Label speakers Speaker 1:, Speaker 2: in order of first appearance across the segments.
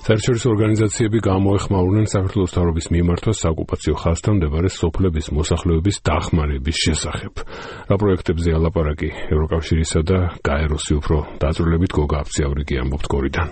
Speaker 1: საერთაშორისო ორგანიზაციები გამოეხმაურნენ საქართველოს მთავრობის მიმართვას საოკუპაციო ხაზთან მდებარე სოფლების მოსახლეობის დახმარების შესახებ. რა პროექტებზე ალაპარაკი ევროკავშირისა და გაეროსი უფრო დაწვრილებით გოგა აფციავრიკი ამბობთ გორიდან.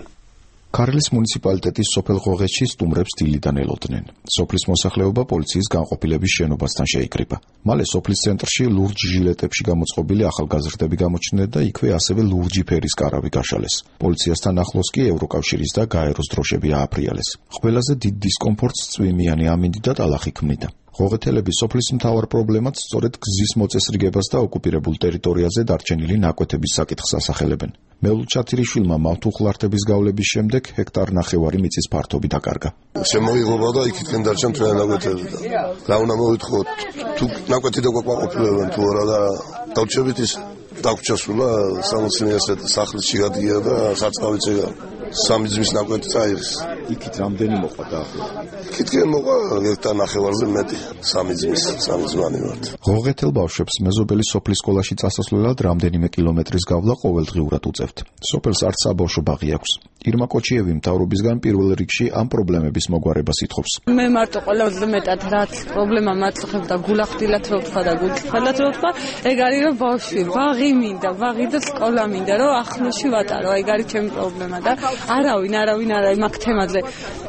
Speaker 2: ქარელის მუნიციპალიტეტის სოფელ ღოღეთში სტუმრებს დილიდან ელოდნენ. სოფლის მოსახლეობა პოლიციის განყოფილების შენობასთან შეიკრიბა. მალე სოფლის ცენტრში ლურჯ ჟილეტებში გამოწყობილი ახალგაზრდები გამოჩნდნენ და იქვე ასევე ლურჯი ფერის კარავი გაშალეს. პოლიციასთან ახლოს კი ევროკავშირის და გაეროს დროშები ააფრიალეს. ყველაზე დიდ დისკომფორტს წვიმიანი ამინდი და ტალახი ქმნიდა. ღოღეთელების სოფლის მთავარ პრობლემად სწორედ გზის მოწესრიგებას და ოკუპირებულ ტერიტორიაზე დარჩენილი ნაკვეთების საკითხს ასახელებენ. მელულ ჩათირიშვილმა მავთუხლართების გავლების შემდეგ ჰექტარ ნახევარი მიწის ფართობი დაკარგა.
Speaker 3: შემოიღობა და იქითკენ დარჩა მთელი ნაკვეთები და რა უნდა მოვითხოთ, თუ ნაკვეთი დაგვაყოფილებენ თუ არა და დავჭებით ის დაგვრჩასულა 60 სახლის შიგადია და საწყავიც ეგა. სამი ძმის ნაკვეთი წაიღეს.
Speaker 2: იქით რამდენი მოყვა დაახლოებით?
Speaker 3: იქითკენ მოყვა ჰექტარ ნახევარზე მეტი. სამი ძმანი ვართ.
Speaker 2: ღოღეთელ ბავშვებს მეზობელი სოფლის სკოლაში წასასვლელად რამდენიმე კილომეტრის გავლა ყოველდღიურად უწევთ. სოფელს არც საბავშვო ბაღი აქვს. ირმა კოჩიევი მთავრობისგან პირველ რიგში ამ პრობლემების მოგვარებას ითხოვს.
Speaker 4: მე მარტო ყველაზე მეტად რაც პრობლემა მაწუხებ და გულახდილად რო ვთქვა და გულწრფელად რო ვთქვა, ეგ არის რომ ბავშვი ბაღი მინდა, ბაღი და სკოლა მინდა, რომ ახლოში ვატარო, ეგ არის ჩემი პრობლემა და არავინ მაგ თემაზე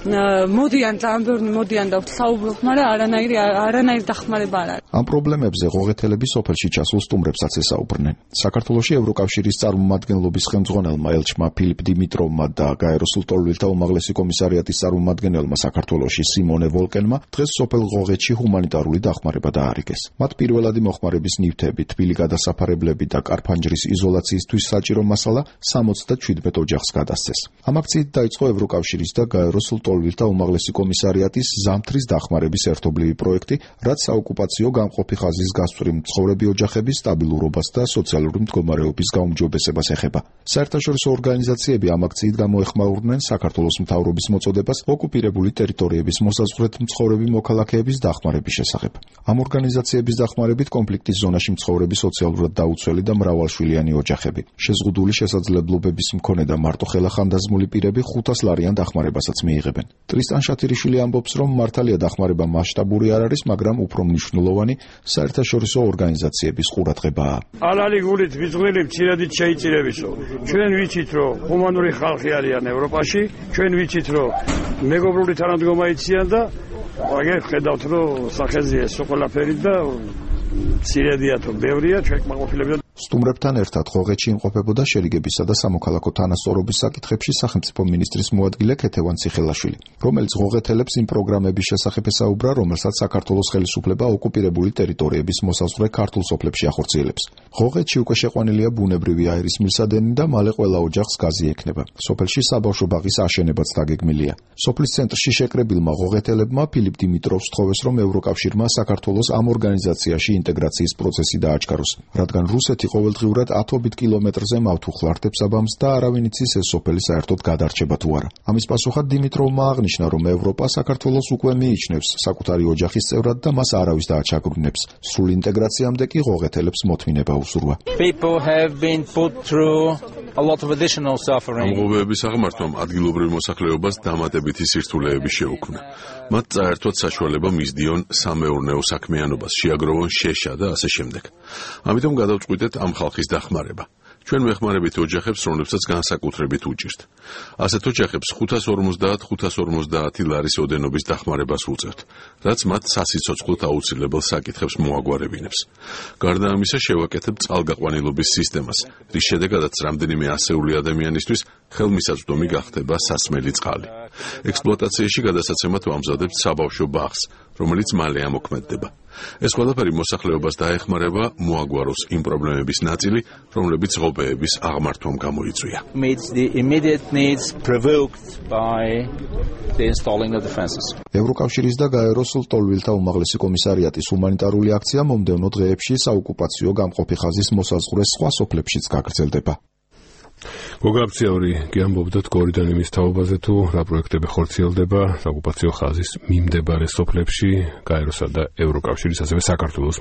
Speaker 4: მოდიან ძალიან ბევრი მოდიან და საუბრობ, მაგრამ არანაირი დახმარება არ არის.
Speaker 2: ამ პრობლემებზე ღოღეთელები სოფელში ჩასულ სტუმრებსაც ესაუბრნენ. საქართველოში ევროკავშირის წარმომადგენლობის ხელმძღვანელმა ელჩმა ფილიპ დიმიტროვმა და გაეროს ლტოლვილთა უმაღლესი კომისარიატის წარმომადგენელმა საქართველოში სიმონე ვოლკენმა დღეს სოფელ ღოღეთში ჰუმანიტარული დახმარება დაარიგეს. მათ პირველადი მოხმარების ნივთები, თბილი გადასაფარებლები და კარფანჯრის იზოლაციისთვის საჭირო მასალა 77 ოჯახს გადასცეს. ამ აქციით დაიწყო ევროკავშირის და გაეროს ლტოლვილთა უმაღლესი კომისარიატის ზამთრის დახმარების ერთობლივი პროექტი, რაც საოკუპაციო გამყოფი ხაზის გასწვრივ მცხოვრები ოჯახების სტაბილურობას და სოციალური მდგომარეობის გაუმჯობესებას ეხება. საერთაშორისო ორგანიზაციები ამ აქციით გამოეხმაურნენ საქართველოს მთავრობის მოწოდებას ოკუპირებული ტერიტორიების მოსაზღვრეთ მცხოვრები მოქალაქეების დახმარების შესახებ. ამ ორგანიზაციების დახმარებით კონფლიქტის ზონაში მცხოვრები სოციალურად დაუცველი და მრავალშვილიანი ოჯახები, შეზღუდული შესაძლებლობების მქონე და მარტოხელა ხანდაზმული პირები 500 ლარიან დახმარებასაც მიიღებენ. ტრისტან შათირიშვილი ამბობს, რომ მართალია დახმარება მასშტაბური არ არის, მაგრამ უფრო მნიშვნელოვანი საერთაშორისო ორგანიზაციების ყურადღებაა.
Speaker 5: ალალი გულით ვიძღველი მცირედით შეიწირებისო. ჩვენ ვიცით, რომ ჰუმანური ხალხი არიან ევროპაში, ჩვენ ვიცით, რომ მეგობრული თანადგომა იციან და აგერ ხედავთ, რომ სახეზე ეს ყველაფერი და მცირედია თუ ბევრია, ჩვენ კმაყოფილებია.
Speaker 2: სტუმრებთან ერთად ღოღეთში იმყოფებოდა შერიგებისა და სამოქალაქო თანასწორობის საკითხებში სახელმწიფო მინისტრის მოადგილე ქეთევან ციხელაშვილი, რომელიც ღოღეთელებს იმ პროგრამების შესახებ ესაუბრა, რომელსაც საქართველოს ხელისუფლება ოკუპირებული ტერიტორიების მოსაზღვრე ქართულ სოფლებში ახორციელებს. ღოღეთში უკვე შეყვანილია ბუნებრივი აირის მილსადენი და მალე ყველა ოჯახს გაზი ექნება. სოფელში საბავშვო ბაღის აშენებაც დაგეგმილია. სოფლის ცენტრში შეკრებილმა ღოღეთელებმა ფილიპ დიმიტროვს სთხოვეს, რომ ევროკავშირმა საქართველოს ამ ორგანიზაციაში ინტეგრაციის პროცესი დააჩქაროს, რადგან რუსეთი ყოველდღიურად 10 კილომეტრზე მავთუხლართებს აბამს და არავინ იცის ეს სოფელი საერთოდ გადარჩება თუ არა. ამის პასუხად დიმიტროვმა აღნიშნა, რომ ევროპა საქართველოს უკვე მიიჩნევს საკუთარი ოჯახის წევრად და მას არავის დააჩაგვრინებს. სრული ინტეგრაციამდე კი ღოღეთელებს მოთმინება უსურვა.
Speaker 6: ამ ღობეების აღმართვამ ადგილობრივ მოსახლეობას დამატებითი სირთულეები შეუქმნა. მათ წაერთვათ საშუალება მისდიონ სამეურნეო საქმიანობას, შეაგროვონ შეშა და ასე შემდეგ. ამიტომ გადავწყვიტეთ ამ ხალხის დახმარება. ჩვენ ვეხმარებით ოჯახებს, რომლებსაც განსაკუთრებით უჭირთ. ასეთ ოჯახებს 550 ლარის ოდენობის დახმარებას ვუწევთ, რაც მათ სასიცოცხლოდ აუცილებელ საკითხებს მოაგვარებინებს. გარდა ამისა, შევაკეთებ წყალგაყვანილობის სისტემას, რის შედეგადაც რამდენიმე ასეული ადამიანისთვის ხელმისაწვდომი გახდება სასმელი წყალი. ექსპლუატაციაში გადასაცემად ვამზადებთ საბავშვო ბაღს, რომელიც მალე ამოქმედდება. ეს ყველაფერი მოსახლეობას დაეხმარება მოაგვაროს იმ პრობლემების ნაწილი, რომლებიც ღობეების აღმართვამ გამოიწვია.
Speaker 2: ევროკავშირის და გაეროს ლტოლვილთა უმაღლესი კომისარიატის ჰუმანიტარული აქცია მომდევნო დღეებში საოკუპაციო გამყოფი ხაზის მოსაზღვრე სხვა სოფლებშიც გაგრძელდება.
Speaker 1: გოგა აფციაური გიამბობდათ გორიდან იმის თაობაზე თუ რა პროექტები ხორციელდება საოკუპაციო ხაზის მიმდებარე სოფლებში, გაეროსა და ევროკავშირის ასევე საქართველოს